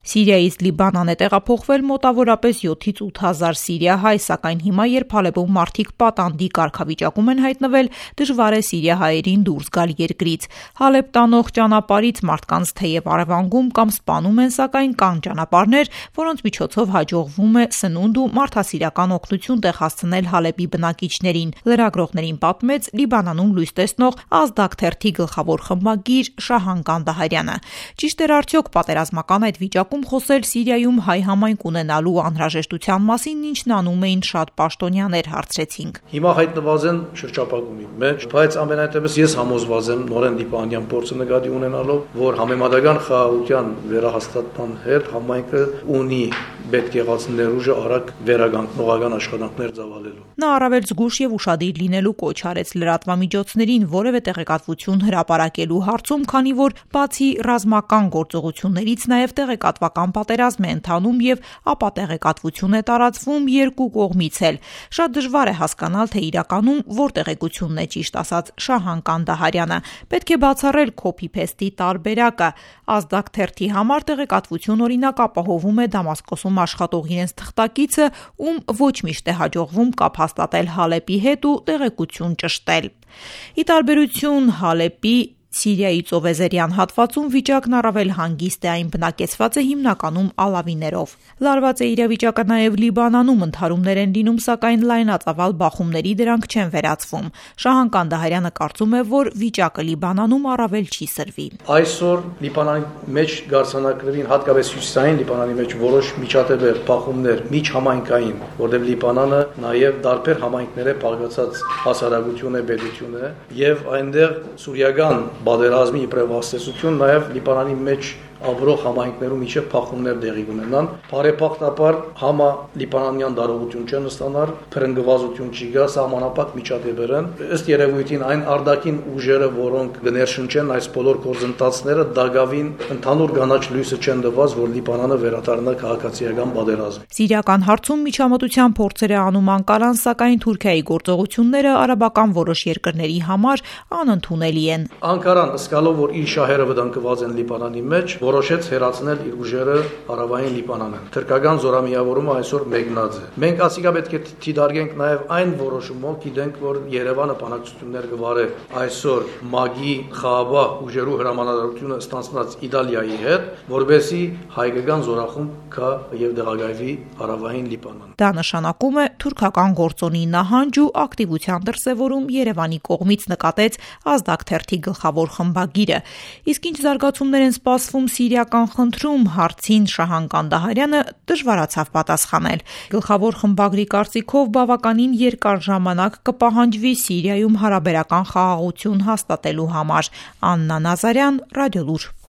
Սիրիայից Լիբանան է տեղափոխվել մոտավորապես 7-ից 8 հազար սիրիահայ, սակայն հիմա, երբ Հալեպում մարդիկ պատանդի կարգավիճակում են հայտնվել, դժվար է սիրիահայերին դուրս գալ երկրից։ Հալեպ տանող ճանապարհից մարդկանց թեև առևանգում կամ սպանում են, սակայն կան ճանապարհներ, որոնց միջոցով հաջողվում է սնունդ ու մարդասիրական օգնություն տեղ հասցնել Հալեպի բնակիչներին։ Լրագրողներին պատմեց Լիբանանում լույս տեսնող Ազդակ թերթի գլխավոր խմբագիր Շահան Կանդահարյանը։ Ճիշտ էր արդյոք պատերազմական այդ վիճակում խոսել Սիրիայում հայ համայնք ունենալու անհրաժեշտության մասին, ինչն անում էին շատ պաշտոնյաներ, հարցրեցինք։ Հիմա հայտնված են շրջապատումի մեջ, բայց ամենայնտեղս ես համոզված եմ նորեն լիբանանյան փորձը նկատի ունենալով, որ համեմատական խաղաղության վերահաստատման հետ համայնքը ունի պետք եղած ներուժը արագ վերականգնողական աշխատանքներ ծավալելու։ Նա առավել զգուշ եւ ուշադիր լինելու կոչ արեց լրատվամիջոցներին որևէ տեղեկատվություն հրապարակելու հարցում, քանի որ բացի ռազմական գործողություններից նաեւ տեղեկատվական պատերազմ է ընթանում եւ ապա տեղեկատվություն է տարածվում երկու կողմից էլ։ Շատ դժվար է հասկանալ, թե իրականում որ տեղեկությունն է ճիշտ, ասաց Շահան Կանդահարյանը։ Պետք է բացառել copy-paste-ի տարբերակը։ Ազդակ թերթի համար տեղեկատվություն օրինակ ապահովում է Դամասկոսում աշխատող իրենց թղթակիցը, ում ոչ միշտ է հաջողվում կապ հաստատել Հալեպի հետ ու տեղեկություն ճշտել։ Ի տարբերություն Հալեպի, Սիրիայի ծովեզերյան հատվածում վիճակն առավել հանգիստ է, այն բնակեցված է հիմնականում ալավիներով։ Լարված է իրավիճակը նաև Լիբանանում, ընդհարումներ են լինում, սակայն լայնածավալ բախումների դրանք չեն վերացվում։ Շահան Կանդահարյանը կարծում է, որ վիճակը Լիբանանում առավել չի սրվի։ Այսօր Լիբանանի մեջ գարցանակներին, հատկապես հյուսիսային Լիբանանի մեջ որոշ միջադեպեր, բախումներ, միջհամայնքային, որտեղ Լիբանանը նաև տարբեր համայնքներ է բաղկացած հասարակություն է, պետություն է, եւ այնտեղ սուրիական պատերազմի իբրև հաստատություն նաև Լիբանանի մեջ ապրող համայնքներում իջև փախումներ տեղի ունենան։ Բարեբախտաբար համա լիբանանյան դարողություն չեն ստանալ, փրկվածություն չի գա, սահմանապակ միջադեպեր են։ Ըստ երևույթին այն արտաքին ուժերը, որոնք գներշնչեն այս բոլոր գործընթացները, դակավին ընդհանուր կանաչ լույսը չեն տված, որ Լիբանանը վերադառնա քաղաքացիական պատերազմ։ Սիրիական հարցում միջամտության փորձեր է անում Անկարան, սակայն Թուրքիայի գործողությունները արաբական որոշ երկրների համար անընդունելի են։ Անկարան զգալով, որ իր շահերը վտանգված են Լիբանանի մեջ, որոշեց հերացնել իր ուժերը հարավային Լիբանանը։ Թուրքական զորամիավորումը այսօր մեկնած է։ Մենք ասիկա պետք է դիտարկենք նաև այն որոշումով, գիտենք, որ Երևանը բանակցություններ կվարի այսօր ՄԱԳ-ի խաղաղ ուժերու հրամանատարությունը ստանցնած Իտալիայի հետ, որովհետեւ հայկական զորախումբ կա եւ դեղագայվի հարավային Լիբանան։ Դա նշանակում է թուրքական գործոնի նահանջ ու ակտիվության դրսևորում Երևանի կողմից, նկատեց Ազդակ թերթի գլխավոր խմբագիրը։ Իսկ ինչ զարգացումներ են սպասվում սիրիական խնդրում, հարցին Շահան Կանդահարյանը դժվարացավ պատասխանել։ Գլխավոր խմբագրի կարծիքով բավականին երկար ժամանակ կպահանջվի Սիրիայում հարաբերական խաղաղություն հաստատելու համար։ Աննա Նազարյան, Ռադիոլուր։